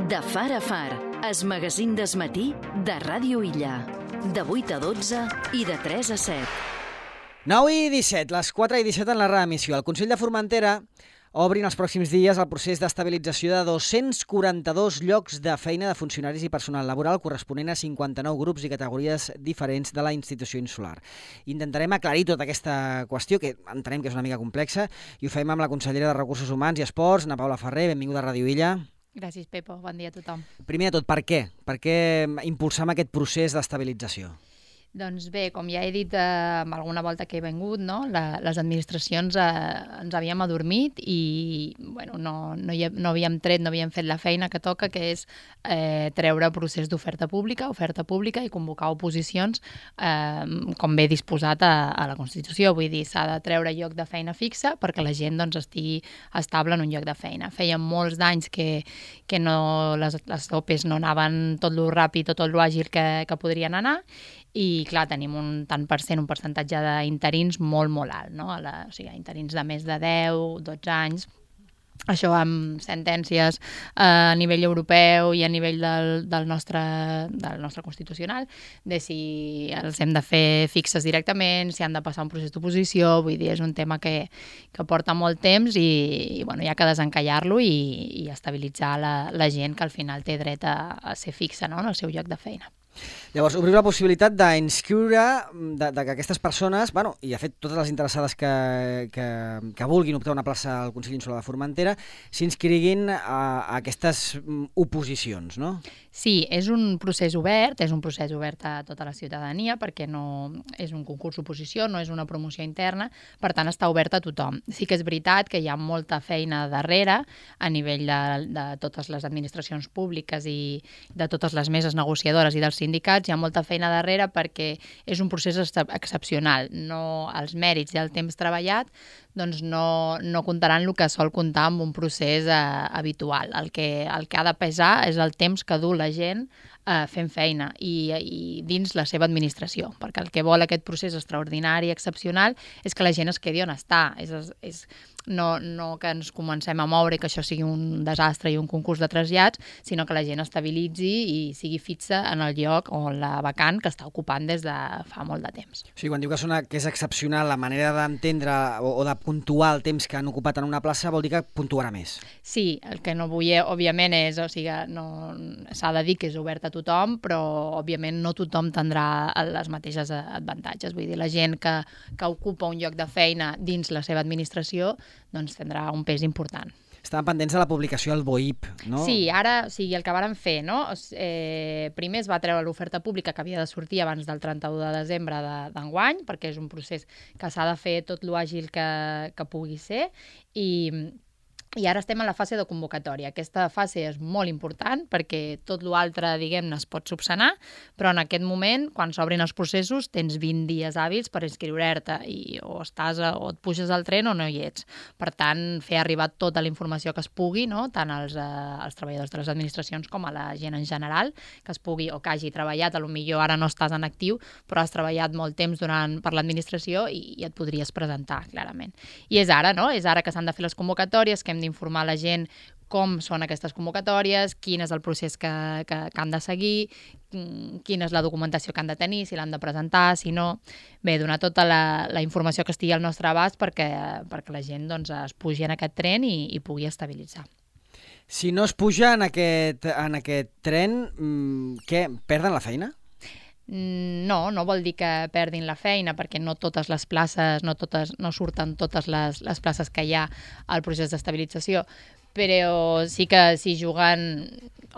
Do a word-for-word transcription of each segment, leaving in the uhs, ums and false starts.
De far a far, es magazín d'esmatí de Ràdio Illa. De vuit a dotze i de tres a set. nou i disset, les quatre i disset en la reemissió. El Consell de Formentera obri en els pròxims dies el procés d'estabilització de dos-cents quaranta-dos llocs de feina de funcionaris i personal laboral corresponent a cinquanta-nou grups i categories diferents de la institució insular. Intentarem aclarir tota aquesta qüestió, que entenem que és una mica complexa, i ho fem amb la consellera de Recursos Humans i Esports, Ana Paula Ferrer. Benvinguda a Ràdio Illa. Gràcies, Pepo. Bon dia a tothom. Primer de tot, per què? Per què impulsar aquest procés d'estabilització? Doncs bé, com ja he dit eh, alguna volta que he vengut, no? La, les administracions eh, ens havíem adormit i bueno, no, no, hi, no havíem tret, no havíem fet la feina que toca, que és eh, treure procés d'oferta pública, oferta pública i convocar oposicions eh, com ve disposat a, a la Constitució. Vull dir, s'ha de treure lloc de feina fixa perquè la gent doncs, estigui estable en un lloc de feina. Feia molts d'anys que, que no, les, les O P Es no anaven tot lo ràpid o tot lo àgil que, que podrien anar. I, clar, tenim un tant per cent, un percentatge d'interins molt, molt alt, no? A la, o sigui, interins de més de deu, dotze anys. Això amb sentències a nivell europeu i a nivell del, del, nostre, del nostre constitucional, de si els hem de fer fixes directament, si han de passar un procés d'oposició. Vull dir, és un tema que, que porta molt temps i, i bueno, hi ha que desencallar-lo i, i estabilitzar la, la gent que al final té dret a, a ser fixa, no? En el seu lloc de feina. Llavors, obrir la possibilitat d'inscriure de, de que aquestes persones, bueno, i de fet totes les interessades que, que, que vulguin optar una plaça al Consell Insular de Formentera, s'inscriguin a, a aquestes oposicions, no? Sí, és un procés obert, és un procés obert a tota la ciutadania perquè no és un concurs d'oposició, no és una promoció interna, per tant està obert a tothom. Sí que és veritat que hi ha molta feina darrere a nivell de, de totes les administracions públiques i de totes les meses negociadores i dels sindicats, hi ha molta feina darrere perquè és un procés excepcional. No, els mèrits i el temps treballat doncs no, no comptaran el que sol comptar amb un procés eh, habitual. El que, el que ha de pesar és el temps que du la gent eh, fent feina i, i dins la seva administració, perquè el que vol aquest procés extraordinari, excepcional, és que la gent es quedi on està. És, és, no, no que ens comencem a moure i que això sigui un desastre i un concurs de trasllats, sinó que la gent estabilitzi i sigui fixa en el lloc o la vacant que està ocupant des de fa molt de temps. O sigui, quan diu que, sona, que és excepcional la manera d'entendre o, o de puntuar el temps que han ocupat en una plaça, vol dir que puntuarà més. Sí, el que no vull, òbviament, és, o sigui, no, s'ha de dir que és obert a tothom, però, òbviament, no tothom tindrà les mateixes avantatges. Vull dir, la gent que, que ocupa un lloc de feina dins la seva administració, doncs tindrà un pes important. Estaven pendents de la publicació al B O I P, no? Sí, ara, o sigui, el que vàrem fer, no? Eh, primer es va treure l'oferta pública que havia de sortir abans del trenta-u de desembre d'enguany, perquè és un procés que s'ha de fer tot l'àgil que, que pugui ser, i... I ara estem en la fase de convocatòria. Aquesta fase és molt important perquè tot l'altre, diguem-ne, es pot subsanar, però en aquest moment, quan s'obrin els processos, tens vint dies hàbils per inscriure-te i o estàs a, o et puges al tren o no hi ets. Per tant, fer arribar tota la informació que es pugui, no? Tant als, eh, als treballadors de les administracions com a la gent en general, que es pugui o que hagi treballat, potser ara no estàs en actiu, però has treballat molt temps durant, per l'administració i, i et podries presentar, clarament. I és ara, no? És ara que s'han de fer les convocatòries, que hem d'informar la gent com són aquestes convocatòries, quin és el procés que, que, que han de seguir, quina és la documentació que han de tenir, si l'han de presentar, si no... Bé, donar tota la, la informació que estigui al nostre abast perquè, perquè la gent doncs, es pugi en aquest tren i, i pugui estabilitzar. Si no es puja en aquest, en aquest tren, què? Perden la feina? No, no vol dir que perdin la feina perquè no totes les places, no, totes, no surten totes les, les places que hi ha al procés d'estabilització, però sí que si juguen,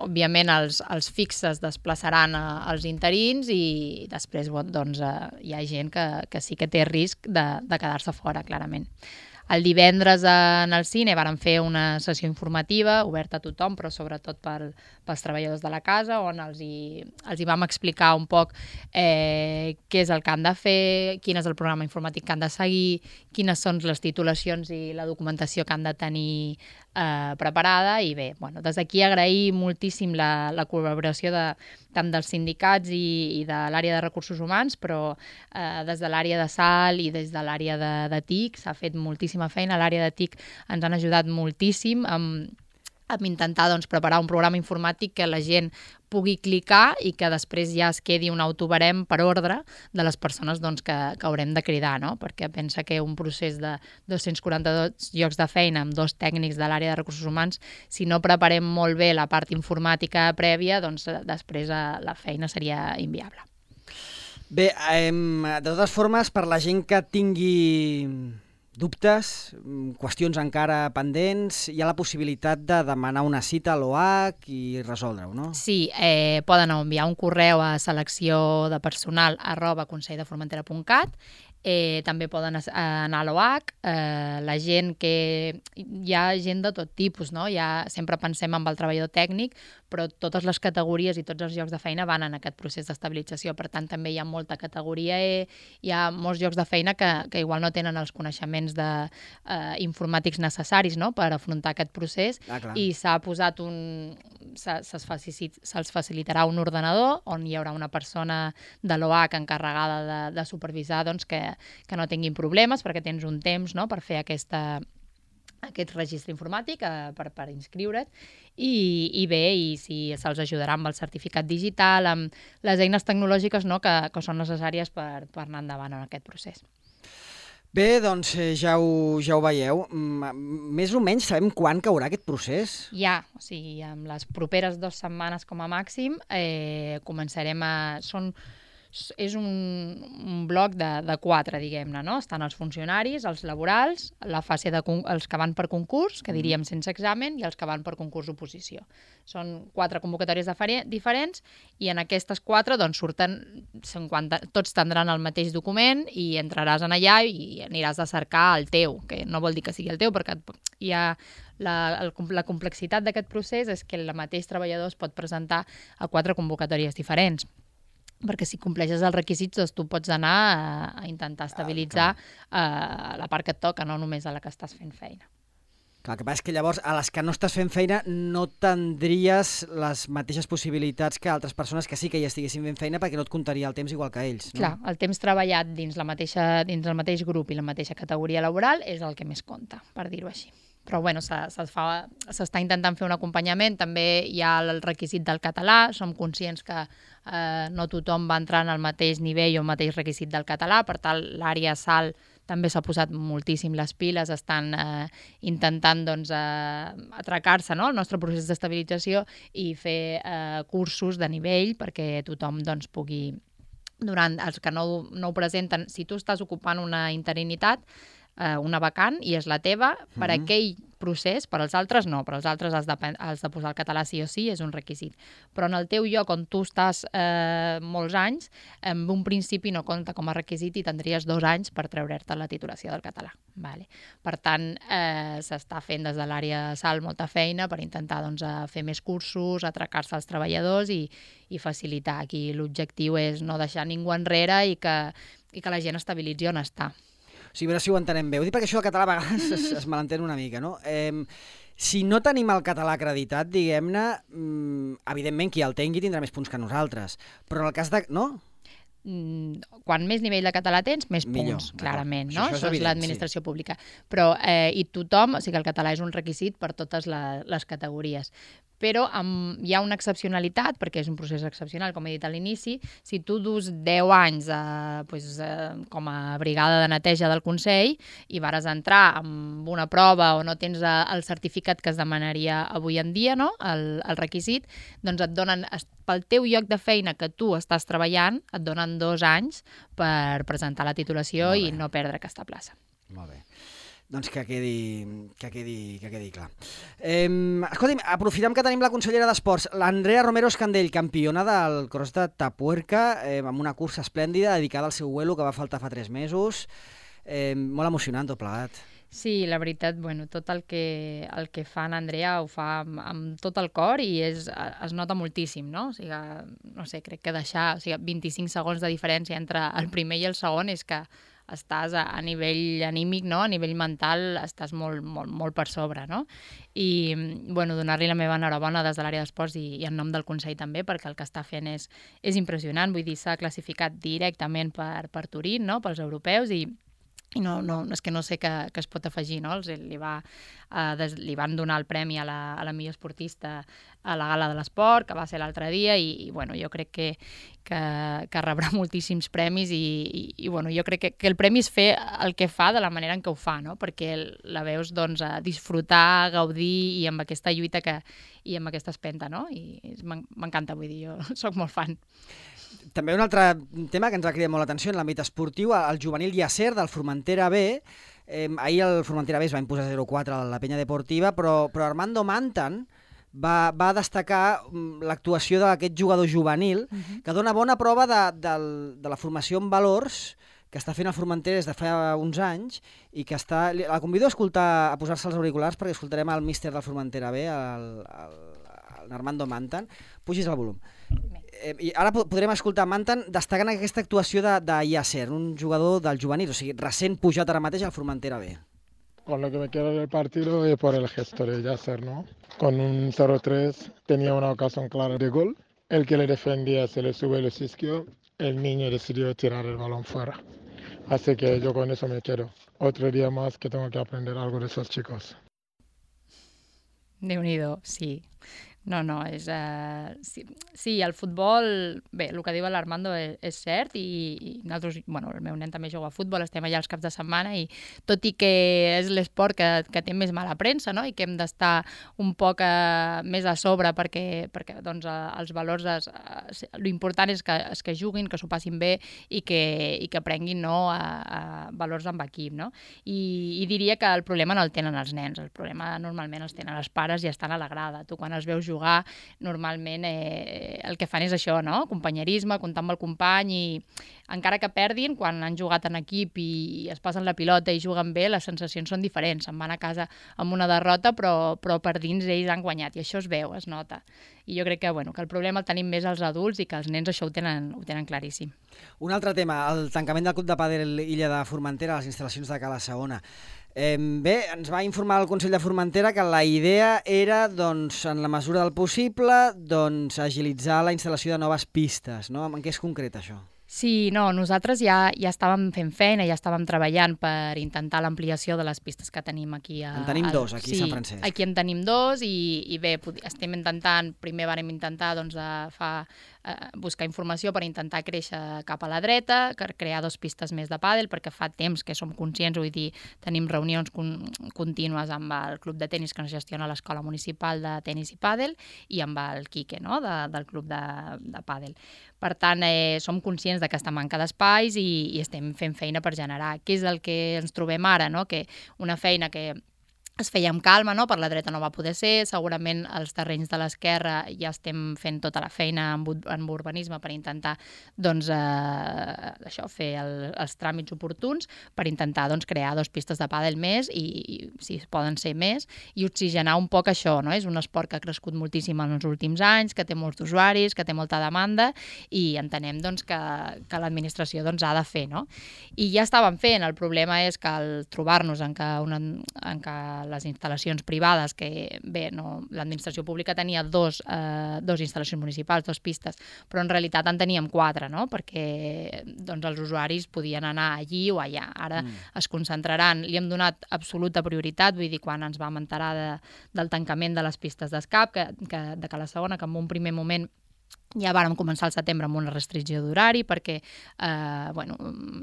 òbviament els, els fixes desplaçaran a, als interins i després doncs, hi ha gent que, que sí que té risc de, de quedar-se fora, clarament. El divendres en el cine vàrem fer una sessió informativa, oberta a tothom, però sobretot per, pels treballadors de la casa, on els hi, els hi vam explicar un poc eh, què és el que han de fer, quin és el programa informàtic que han de seguir, quines són les titulacions i la documentació que han de tenir eh, preparada. I bé, bueno, des d'aquí agrair moltíssim la, la col·laboració de, tant dels sindicats i, i de l'àrea de recursos humans, però eh, des de l'àrea de Sal i des de l'àrea de, de T I C s'ha fet moltíssima feina. A l'àrea de T I C ens han ajudat moltíssim amb amb intentar doncs, preparar un programa informàtic que la gent pugui clicar i que després ja es quedi un autobarem per ordre de les persones doncs, que, que haurem de cridar, no? Perquè pensa que un procés de dos-cents quaranta-dos llocs de feina amb dos tècnics de l'àrea de recursos humans, si no preparem molt bé la part informàtica prèvia, doncs després la feina seria inviable. Bé, eh, de totes formes, per la gent que tingui dubtes, qüestions encara pendents, hi ha la possibilitat de demanar una cita a l'O H i resoldre-ho, no? Sí, eh, poden enviar un correu a selecció de personal arroba consell de formentera punt cat. Eh, també poden anar a l'O H, eh, la gent que... Hi ha gent de tot tipus, no? Ja sempre pensem en el treballador tècnic, però totes les categories i tots els llocs de feina van en aquest procés d'estabilització. Per tant, també hi ha molta categoria E, hi ha molts llocs de feina que, que igual no tenen els coneixements de, eh, informàtics necessaris, no?, per afrontar aquest procés, ah, i s'ha posat un... se'ls facilitarà, se facilitarà un ordenador on hi haurà una persona de l'O H encarregada de, de supervisar doncs, que, que no tinguin problemes, perquè tens un temps, no?, per fer aquesta, aquest registre informàtic eh, per, per inscriure't, i, i bé, i si se'ls ajudarà amb el certificat digital, amb les eines tecnològiques, no?, que, que són necessàries per, per anar endavant en aquest procés. Bé, doncs ja ho, ja ho veieu. Més o menys sabem quan caurà aquest procés? Ja, o sigui, amb les properes dues setmanes com a màxim eh, començarem a... Són, és un, un bloc de, de quatre, diguem-ne, no? Estan els funcionaris, els laborals, la fase de, els que van per concurs, que diríem sense examen, i els que van per concurs d'oposició. Són quatre convocatòries diferents i en aquestes quatre doncs, surten cinquanta, tots tindran el mateix document i entraràs en allà i aniràs a cercar el teu, que no vol dir que sigui el teu, perquè hi ha la, la complexitat d'aquest procés és que el mateix treballador es pot presentar a quatre convocatòries diferents, perquè si compleixes els requisits doncs tu pots anar a, a intentar estabilitzar ah, la part que et toca, no només a la que estàs fent feina. Clar, el que passa és que llavors a les que no estàs fent feina no tindries les mateixes possibilitats que altres persones que sí que ja estiguessin fent feina, perquè no et comptaria el temps igual que ells. No? Clar, el temps treballat dins, la mateixa, dins el mateix grup i la mateixa categoria laboral és el que més compta, per dir-ho així. Però bueno, s'està intentant fer un acompanyament, també hi ha el requisit del català, som conscients que eh, no tothom va entrar en el mateix nivell o el mateix requisit del català, per tant l'àrea S A L també s'ha posat moltíssim les piles, estan eh, intentant doncs, eh, atracar-se, no?, el nostre procés d'estabilització i fer eh, cursos de nivell perquè tothom doncs, pugui, durant els que no, no ho presenten, si tu estàs ocupant una interinitat, una vacant i és la teva, per Mm-hmm. aquell procés, per als altres no, per als altres has de, has de posar el català sí o sí, és un requisit. Però en el teu lloc on tu estàs eh, molts anys, en un principi no compta com a requisit i tindries dos anys per treure'te la titulació del català. Vale. Per tant, eh, s'està fent des de l'àrea de S A L molta feina per intentar doncs, fer més cursos, atracar-se als treballadors i, i facilitar. Aquí l'objectiu és no deixar ningú enrere i que, i que la gent estabilitzi on està. Sí, a veure si ho entenem bé. Ho dic perquè això del català a vegades es, es malentén una mica, no? Eh, si no tenim el català acreditat, diguem-ne, mm, evidentment qui el tingui tindrà més punts que nosaltres. Però en el cas de... no? Quan més nivell de català tens, més Millor, punts, clarament, no? Això, això és, això és evident, l'administració sí. pública. Però, eh, i tothom, o sigui que el català és un requisit per totes la, les categories. Però amb, hi ha una excepcionalitat, perquè és un procés excepcional, com he dit a l'inici, si tu dus deu anys eh, pues, eh, com a brigada de neteja del Consell i vares entrar amb una prova o no tens el certificat que es demanaria avui en dia, no? el, el requisit, doncs et donen, pel teu lloc de feina que tu estàs treballant, et donen dos anys per presentar la titulació i no perdre aquesta plaça. Molt bé. Doncs que quedi, que quedi, que quedi clar. Eh, escolti'm, aprofitem que tenim la consellera d'Esports, l'Andrea Romero Escandell, campiona del cross de Tapuerca, eh, amb una cursa esplèndida dedicada al seu vuelo que va faltar fa tres mesos. Eh, molt emocionant tot plegat. Sí, la veritat, bueno, tot el que, el que fa en Andrea ho fa amb, amb tot el cor i és, es nota moltíssim, no? O sigui, no sé, crec que deixar o sigui, vint-i-cinc segons de diferència entre el primer i el segon és que estàs a, a nivell anímic, no? A nivell mental, estàs molt, molt, molt per sobre, no? I, bueno, donar-li la meva enhorabona des de l'àrea d'esports i, i en nom del Consell també, perquè el que està fent és, és impressionant. Vull dir, s'ha classificat directament per, per Turín, no? Pels europeus i i no, no, és que no sé què, què es pot afegir, no? Els, li, va, eh, des, li van donar el premi a la, a la millor esportista a la gala de l'esport, que va ser l'altre dia, i, i bueno, jo crec que, que, que rebrà moltíssims premis i, i, i bueno, jo crec que, que el premi és fer el que fa de la manera en què ho fa, no? Perquè la veus doncs, a disfrutar, gaudir i amb aquesta lluita que, i amb aquesta espenta, no? I m'encanta, vull dir, jo soc molt fan. També un altre tema que ens ha cridat molt l'atenció en l'àmbit esportiu, el juvenil Yasser del Formentera B. Eh, ahir el Formentera B es va imposar zero quatre a la penya deportiva, però, però Armando Mantan va, va destacar l'actuació d'aquest jugador juvenil, uh-huh. que dona bona prova de, de, de la formació en valors que està fent el Formentera des de fa uns anys i que està... La convido a escoltar, a posar-se els auriculars perquè escoltarem el míster del Formentera B, el, el, el Armando Mantan. Pugis el volum. Eh, I ara podrem escoltar Mantan destacant aquesta actuació de, de Yasser, un jugador del juvenil, o sigui, recent pujat ara mateix al Formentera B. Con lo que me queda del partido es por el gesto de Yasser, ¿no? Con un cero tres tenía una ocasión clara de gol. El que le defendía se le sube el isquio. El niño decidió tirar el balón fuera. Así que yo con eso me quedo. Otro día más que tengo que aprender algo de esos chicos. Déu-n'hi-do, sí. No, no, és... Uh, sí, sí, el futbol... Bé, el que diu l'Armando és, és cert i, i nosaltres, bueno, el meu nen també juga a futbol, estem allà els caps de setmana i tot i que és l'esport que, que té més mala premsa, no?, i que hem d'estar un poc uh, més a sobre perquè, perquè doncs, uh, els valors... Es, uh, l'important és que, és que juguin, que s'ho passin bé i que, i que aprenguin, no?, a, a valors amb equip, no? I, I diria que el problema no el tenen els nens, el problema normalment els tenen els pares i estan a la grada. Tu quan els veus jugar jugar, normalment eh, el que fan és això, no? Companyerisme, comptar amb el company i encara que perdin, quan han jugat en equip i es passen la pilota i juguen bé, les sensacions són diferents. Se'n van a casa amb una derrota, però, però per dins ells han guanyat i això es veu, es nota. I jo crec que, bueno, que el problema el tenim més els adults i que els nens això ho tenen, ho tenen claríssim. Un altre tema, el tancament del Club de Pàdel Illa de Formentera a les instal·lacions de Cala Segona. Eh, bé, ens va informar el Consell de Formentera que la idea era, doncs, en la mesura del possible, doncs, agilitzar la instal·lació de noves pistes, no? En què és concret això? Sí, no, nosaltres ja, ja estàvem fent feina, ja estàvem treballant per intentar l'ampliació de les pistes que tenim aquí. A, en tenim al, dos, aquí sí, a Sant Francesc. Aquí en tenim dos i, i bé, estem intentant, primer vàrem intentar doncs, de fa, eh, buscar informació per intentar créixer cap a la dreta, per crear dos pistes més de pàdel, perquè fa temps que som conscients, vull dir, tenim reunions con, contínues amb el club de tenis que ens gestiona l'Escola Municipal de Tenis i Pàdel i amb el Quique, no?, de, del club de, de pàdel. Per tant, eh, som conscients d'aquesta manca d'espais i, i estem fent feina per generar. Què és el que ens trobem ara, no? Que una feina que es feia amb calma, no? Per la dreta no va poder ser, segurament els terrenys de l'esquerra ja estem fent tota la feina en, en urbanisme per intentar doncs, eh, això, fer el, els tràmits oportuns per intentar doncs, crear dos pistes de pàdel més i, i si poden ser més i oxigenar un poc això, no? És un esport que ha crescut moltíssim en els últims anys, que té molts usuaris, que té molta demanda i entenem doncs, que, que l'administració doncs, ha de fer, no? I ja estàvem fent, el problema és que al trobar-nos en que, una, en que les instal·lacions privades, que bé, no, l'administració pública tenia dos, eh, dos instal·lacions municipals, dos pistes, però en realitat en teníem quatre, no? Perquè doncs, els usuaris podien anar allí o allà. Ara mm. es concentraran, li hem donat absoluta prioritat, vull dir, quan ens vam enterar de, del tancament de les pistes d'escap, que, que, de Cala Segona, que en un primer moment ja vàrem començar al setembre amb una restricció d'horari perquè eh, bueno,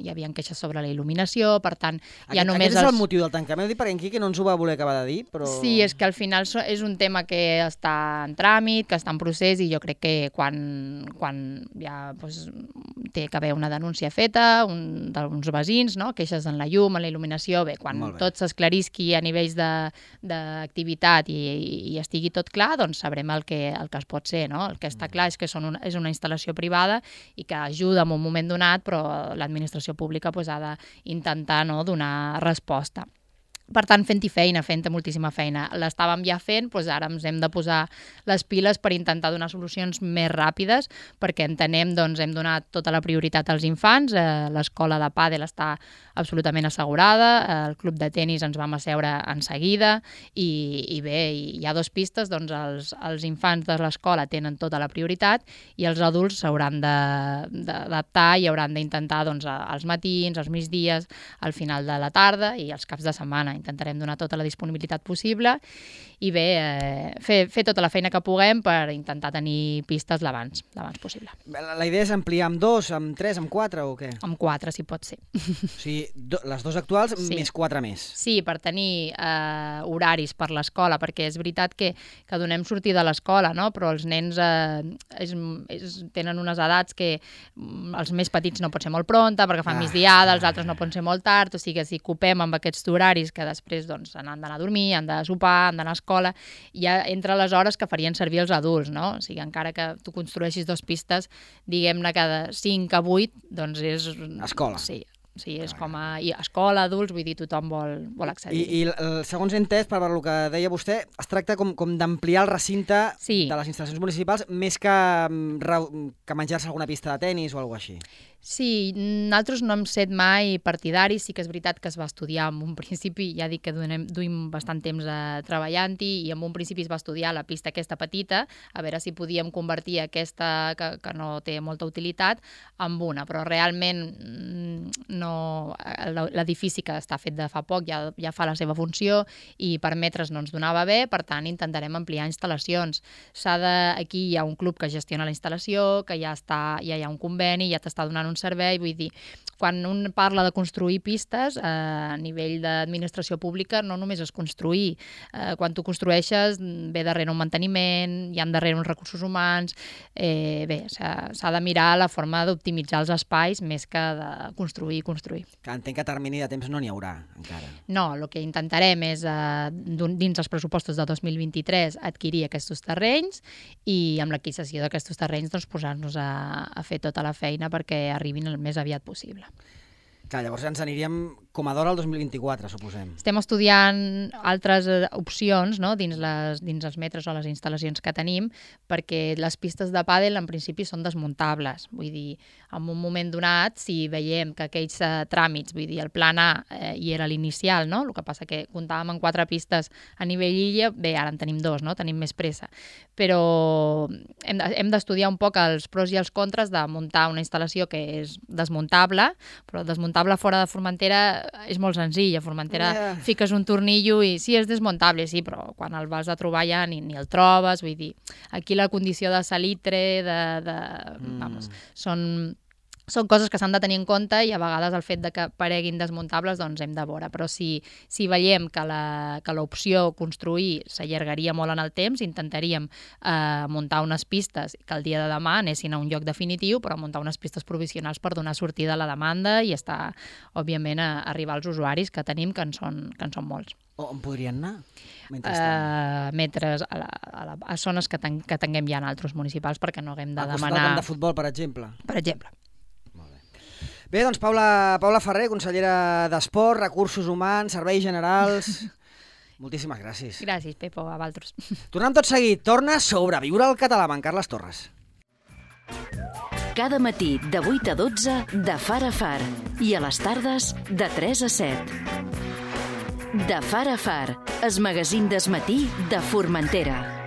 hi havia queixes sobre la il·luminació, per tant... Aquest, ja només aquest és els... el motiu del tancament, ho dic perquè en Quique no ens ho va voler acabar de dir, però... Sí, és que al final és un tema que està en tràmit, que està en procés i jo crec que quan, quan ja doncs, té que haver una denúncia feta, un, d'uns veïns, no? Queixes en la llum, en la il·luminació, bé, quan bé. Tot s'esclarisqui a nivells d'activitat i, i estigui tot clar, doncs sabrem el que, el que es pot ser, no? El que està clar és que són una, és una instal·lació privada i que ajuda en un moment donat, però l'administració pública pues, ha d'intentar no, donar resposta. Per tant, fent-hi feina, fent moltíssima feina. L'estàvem ja fent, doncs ara ens hem de posar les piles per intentar donar solucions més ràpides, perquè entenem, doncs, hem donat tota la prioritat als infants, eh, l'escola de pàdel està absolutament assegurada, eh, el club de tenis ens vam asseure en seguida, i, i bé, hi ha dues pistes, doncs els, els infants de l'escola tenen tota la prioritat i els adults s'hauran d'adaptar i hauran d'intentar, doncs, als matins, als migdies, al final de la tarda i als caps de setmana. Intentarem donar tota la disponibilitat possible i bé, eh, fer, fer tota la feina que puguem per intentar tenir pistes l'abans, l'abans possible. La, la idea és ampliar amb dos, amb tres, amb quatre o què? Amb quatre, si pot ser. O sigui, do, les dues actuals sí. Més quatre més. Sí, per tenir eh, horaris per l'escola, perquè és veritat que, que donem sortida a l'escola, no? Però els nens eh, és, és, tenen unes edats que els més petits no pot ser molt pronta perquè fan ah, migdiada, els altres no poden ser molt tard, o sigui que si ocupem amb aquests horaris que després doncs, han d'anar a dormir, han de sopar, han d'anar a escola, ja entre les hores que farien servir els adults, no? O sigui, encara que tu construeixis dues pistes, diguem-ne cada cinc a vuit, doncs és... Escola. Sí. Sí, és com a i escola, adults, vull dir, tothom vol, vol accedir. I, i segons he entès, per el que deia vostè, es tracta com, com d'ampliar el recinte sí. De les instal·lacions municipals més que, que menjar-se alguna pista de tenis o alguna cosa així. Sí, nosaltres no hem set mai partidaris, sí que és veritat que es va estudiar en un principi, ja dic que donem, duim bastant temps eh, treballant-hi, i en un principi es va estudiar la pista aquesta petita, a veure si podíem convertir aquesta que, que no té molta utilitat en una, però realment no, l'edifici que està fet de fa poc ja, ja fa la seva funció i per metres no ens donava bé, per tant intentarem ampliar instal·lacions. S'ha de, aquí hi ha un club que gestiona la instal·lació, que ja, està, ja hi ha un conveni, ja t'està donant un servei, vull dir, quan un parla de construir pistes eh, a nivell d'administració pública no només és construir, eh, quan tu construeixes ve darrere un manteniment, hi ha darrere uns recursos humans, eh, bé, s'ha de mirar la forma d'optimitzar els espais més que de construir i construir. Entenc que a termini de temps no n'hi haurà encara. No, el que intentarem és eh, dins els pressupostos de dos mil vint-i-tres adquirir aquests terrenys i amb l'adquisició d'aquests terrenys doncs, posar-nos a, a fer tota la feina perquè arribin el més aviat possible. Clar, llavors ens aniríem com a d'hora al dos mil vint-i-quatre, suposem. Estem estudiant altres opcions, no?, dins, les, dins els metres o les instal·lacions que tenim, perquè les pistes de pàdel en principi són desmuntables. Vull dir, en un moment donat, si veiem que aquells eh, tràmits, vull dir, el plan A eh, hi era l'inicial, no?, el que passa que comptàvem amb quatre pistes a nivell illa, bé, ara en tenim dos, no?, tenim més pressa. Però hem, hem d'estudiar un poc els pros i els contres de muntar una instal·lació que és desmuntable, però desmuntable fora de Formentera és molt senzill. A Formentera yeah. fiques un tornillo i sí, és desmuntable, sí, però quan el vas a trobar ja ni, ni el trobes, vull dir, aquí la condició de salitre, de... de mm. vamos, són... Són coses que s'han de tenir en compte i a vegades el fet de que pareguin desmuntables doncs hem de veure, però si, si veiem que l'opció construir s'allargaria molt en el temps, intentaríem eh, muntar unes pistes que el dia de demà anessin a un lloc definitiu, però muntar unes pistes provisionals per donar sortida a la demanda i estar, òbviament, a arribar als usuaris que tenim, que en són, que en són molts. On podrien anar? Uh, metres a, la, a, la, a zones que, ten, que tinguem ja en altres municipals perquè no haguem de demanar... A costat del camp de futbol, per exemple? Per exemple. Bé, doncs Paula, Paula Ferrer, consellera d'Esport, Recursos Humans, Serveis Generals... Moltíssimes gràcies. Gràcies, Pepo, a vosaltres. Tornem tot seguit. Torna Sobreviure al català amb en Carles Torres. Cada matí de vuit a dotze de Far a Far i a les tardes de tres a set. De Far a Far, el magazín del matí de Formentera.